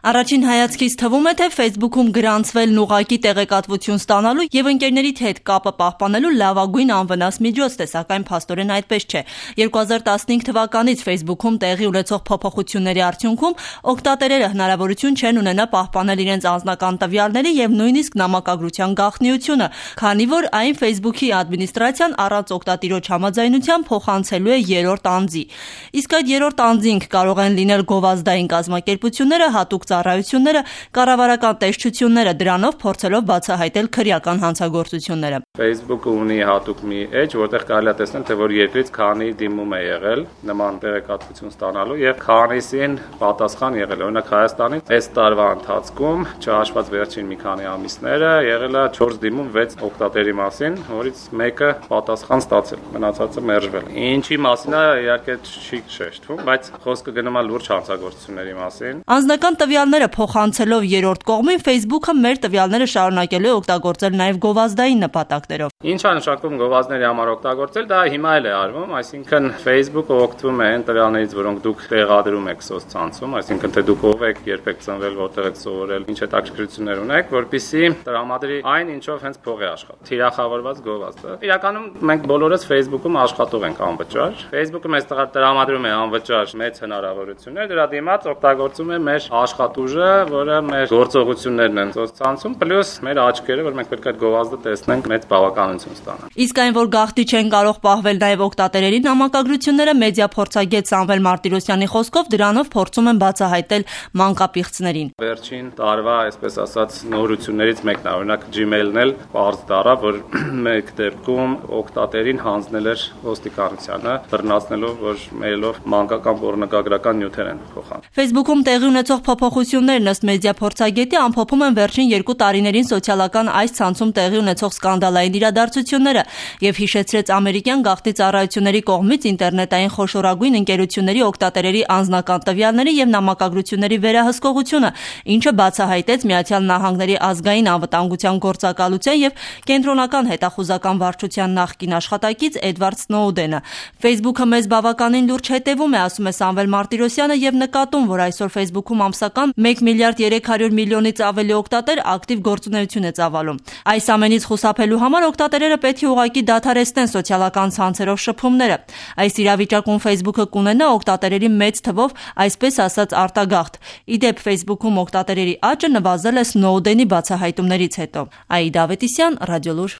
Առաջին հայացքից թվում է, թե Facebook-ում գրանցվելն ուղղակի տեղեկատվություն ստանալու եւ ընկերներիդ հետ կապը պահպանելու լավագույն անվնաս միջոցն է, սակայն փաստորեն այդպես չէ։ 2015 թվականից Facebook-ում տեղի ունեցող փոփոխությունների արդյունքում օգտատերերը հնարավորություն չեն ունենա պահպանել իրենց անձնական տվյալների եւ նույնիսկ նամակագրության գաղտնիությունը, քանի որ այն Facebook-ի ադմինիստրացիան առանց օգտատիրոջ համաձայնության փոխանցելու է երրորդ անձի։ Իսկ այդ երրորդ անձինք կարող են լինել գովազդային կազմակերպությունները, հատուկ ծառայությունները, կառավարական տեսչությունները, դրանով փորձելով բացահայտել քրեական հանցագործությունները։ Facebook-ը ունի հատուկ մի էջ, որտեղ կարելի է տեսնել, թե որ երկրից քանի դիմում է եղել նման տեղեկատվություն ստանալու եւ քանիսին պատասխան եղել։ Օրինակ Հայաստանից այս տարվա ընթացքում, չհաշված վերջին մի քանի ամիսները, եղել է 4 դիմում 6 օգտատերի մասին, որից մեկը պատասխան ստացել, մնացածը մերժվել։ Ինչի մասին է, իհարկե չի շեշտվում, բայց խոսքը գնում է լուրջ հանցագործությունների մասին։ Անձնական տվյալները փոխանցելով երրորդ կողմին Facebook-ը մեր տվյալները շարունակելու է օգտագործել նաև գովազդային նպատակներով։ Ինչ է նշանակում գովազդների համար օգտագործել, դա հիմա էլ է արվում, այսինքն Facebook-ը օգտվում է այն տվյալներից, որոնք դուք տեղադրում եք սոցցանցում, այսինքն թե դուք ով եք, երբ եք ծնվել, որտեղ եք սովորել, ինչ հետաքրքրություններ ունեք, որպեսզի տրամադրի այն, ինչով հենց փող է աշխատում։ Թիրախավորված գովազդը։ Իրականում մենք բոլորս Facebook-ում աշխատող ենք անվճար։ Facebook-ը մեզ տրամադրում է անվճար մեծ հնարավորություններ, դրա դիմաց օգտագործում է մեր աշխատուժը, որը մեր գործողություններն են սոցցանցում, պլյուս մեր աչքերը, որ մենք պետք է այդ գովազդը տեսնենք, մեծ բավականություն ստանանք։ Իսկ այն, որ գաղտնի չեն կարող պահվել նաև օգտատերերի նամակագրությունները, մեդիա փորձագետ Սամվել Մարտիրոսյանի խոսքով դրանով փորձում են բացահայտել մանկապիղծներին։ Վերջին տարվա, այսպես ասած, նորություններից մեկն է, օրինակ Gmail-ն էլ բարձ դառավ, որ մեկ դեպքում օգտատերին հանձնել էր ոստիկանությանը, բռնացնելով, որ մեյլով մանկական պոռնոգրական նյութեր են փոխանցում։ Facebook-ում տեղի ունեցող փոփոխություններն ըստ մեդիա փորձագետի ամփոփում են վերջին 2 տարիներին սոցիալական այս ցանցում տեղի ունեցող սկանդալային իրադարձությունները եւ հիշեցրեց ամերիկյան գաղտնի ծառայությունների կողմից ինտերնետային խոշորագույն ընկերությունների օգտատերերի անձնական տվյալների եւ նամակագրությունների վերահսկողությունը, ինչը բացահայտեց Միացյալ Նահանգների ազգային անվտանգության գործակալության եւ կենտրոնական հետախուզական վարչության նախկին աշխատակից Էդվարդ Սնոուդենը։ Facebook-ը մեզ բավականին լուրջ հետևում է, ասում է Սամվել Մարտիրոսյանը եւ նկատում, որ այսօր Facebook-ում ամսական 1 միլիարդ 300 միլիոնից ավելի օգտատեր ակտիվ գործունեություն է ծավալում։ Այս ամենից խուսափելու համար օգտատերերը պետք է ուղղակի դադարեցնեն սոցիալական ցանցերով շփումները։ Այս իրավիճակում Facebook-ը կունենա օգտատերերի մեծ թվով, այսպես ասած, արտագաղթ։ Իդեպ Facebook-ում օգտատերերի աճը նվազել է Սնոուդենի բացահայտումներից հետո։ Աիդա Ավետիսյան, Ռադիոլուր։